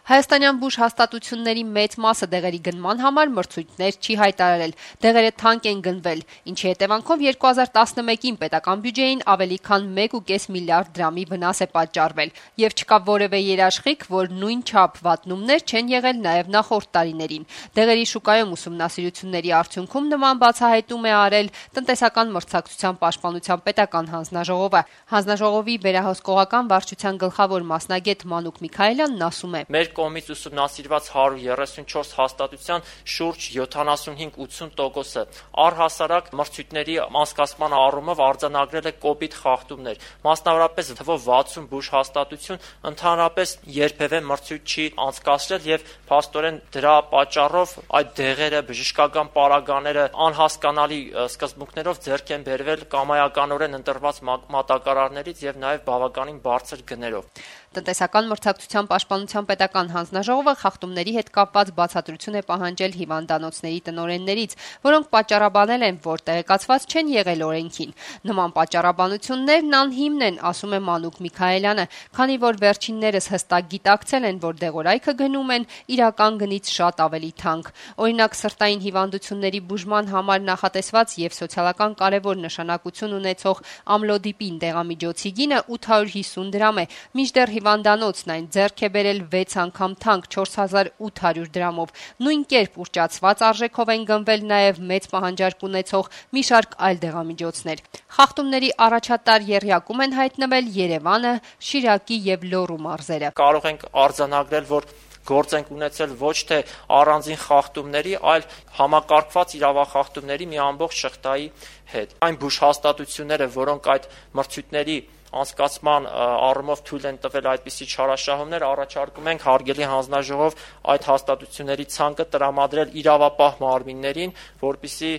Հայաստանյան բուժ հաստատությունների մեծ մասը դեղերի գնման համար մրցույթներ չի հայտարարել, դեղերը թանկ են գնվել, ինչի հետևանքով 2011-ին պետական բյուջեին ավելի քան 1,5 միլիարդ դրամի վնաս է պատճառվել, եւ չկա որևէ երաշխիք, որ նույն չափ վատնումներ չեն եղել նաեւ նախորդ տարիներին։ Դեղերի շուկայում ուսումնասիրությունների արդյունքում նման բացահայտում է արել տնտեսական մրցակցության պաշտպանության պետական հանձնաժողովը։ Հանձնաժողովի վերահսկողական վարչության գլխավոր մասնագետ Մանուկ Միքայելյանն ասում է. Մեր կողմից ուսումնասիրված 134 հաստատության շուրջ 75-80%-ը առհասարակ մրցույթների անցկացման առումով արձանագրել է կոպիտ խախտումներ։ Մասնավորապես թվով 60 բուժ հաստատություն ընդհանրապես երբևէ մրցույթ չի անցկացրել եւ փաստորեն դրա պատճառով այդ դեղերը, բժշկական պարագաները անհասկանալի սկզբունքներով ձեռք են բերվել կամայականորեն ընտրված մատակարարներից եւ նաեւ բավականին բարձր գներով։ Տնտեսական մրցակցության պաշտպանության պետական հանձնաժողովը խախտումների հետ կապված բացատրություն է պահանջել հիվանդանոցների տնօրեններից, որոնք պատճառաբանել են, որ տեղեկացված չեն եղել օրենքին։ Նման պատճառաբանություններն անհիմն են, ասում է Մանուկ Միքայելյանը, քանի որ վերջիններս հստակ գիտակցել են, որ դեղորայքը գնում են իրական գնից շատ ավելի թանկ։ Օրինակ, սրտային հիվանդությունների բուժման համար նախատեսված եւ սոցիալական կարևոր նշանակություն ունեցող ամլոդիպին դեղամիջոցի գինը 850 դրամ է, մինչդեռ հիվանդանոցն այն ձեռք է բերել 6 անգամ թանկ 4800 դրամով։ Նույն կերպ ուռճացված արժեքով են գնվել նաև մեծ պահանջարկ ունեցող մի շարք այլ դեղամիջոցներ։ Խախտումների առաջատար եռյակում են հայտնվել Երևանը, Շիրակի եւ Լոռու մարզերը։ Կարող ենք արձանագրել, որ գործ ենք ունեցել ոչ թե առանձին խախտումների, այլ համակարգված իրավախախտումների մի ամբողջ շղթայի հետ։ Այն բուժհաստատությունները, որոնք այդ մրցույթների անցկացման առումով թույլ են տվել այդպիսի չարաշահումներ, առաջարկում ենք հարգելի հանձնաժողով այդ հաստատությունների ցանկը տրամադրել իրավապահ մարմիններին, որպեսզի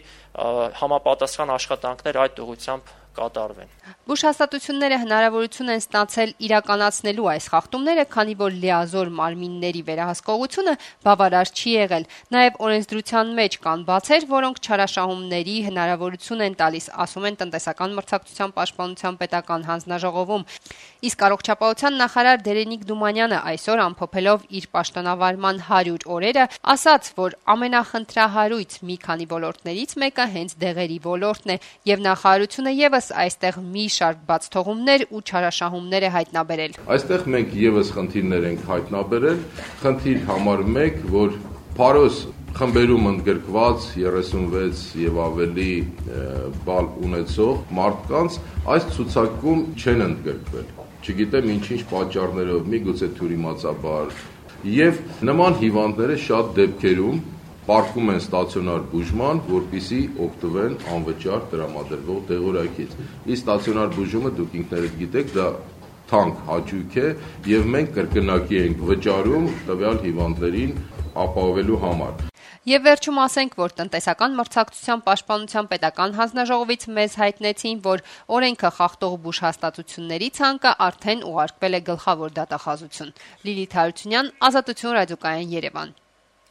համապատասխան աշխատանքներ այդ ուղղությամբ կատարվեն։ Բուժհաստատությունները հնարավորություն են ստացել իրականացնելու այս խախտումները, քանի որ լիազոր մարմինների վերահսկողությունը բավարար չի եղել։ Նաև օրենսդրության մեջ կան բացեր, որոնք չարաշահումների հնարավորություն են տալիս, ասում են տնտեսական մրցակցության պաշտպանության պետական հանձնաժողովում։ Իսկ առողջապահության նախարար Դերենիկ Դումանյանը այսօր ամփոփելով իր պաշտոնավարման 100 օրերը, ասաց, որ ամենախնդրահարույց մի քանի ոլորտներից մեկը հենց դեղերի ոլորտն է, եւ նախարարությունը եւս այստեղ մի շարք բացթողումներ ու չարաշահումներ է հայտնաբերել։ Այստեղ մենք եւս խնդիրներ ենք հայտնաբերել։ Խնդիր համար 1, որ Փարոս խմբերում ընդգրկված 36 եւ ավելի բալ ունեցող մարդկանց այս ցուցակում չեն ընդգրկվել։ Չգիտեմ ինչ պատճառներով, միգուցե թյուրիմացաբար, եւ նման հիվանդները շատ դեպքերում պարտվում են ստացիոնար բուժման, որպեսզի օգտվեն անվճար տրամադրվող դեղորայքից։ Իսկ ստացիոնար բուժումը դուք ինքներդ գիտեք, դա թանկ հաճույք է եւ մենք կրկնակի ենք վճարում տվյալ հիվանդներին ապահովելու համար։ Եվ վերջում ասենք, որ տնտեսական մրցակցության պաշտպանության պետական հանձնաժողովից մեզ հայտնեցին, որ օրենքը խախտող բուժհաստատությունների ցանկը արդեն ուղարկվել է գլխավոր դատախազություն։ Լիլիթ Հարությունյան, Ազատություն ռադիոկայան, Երևան։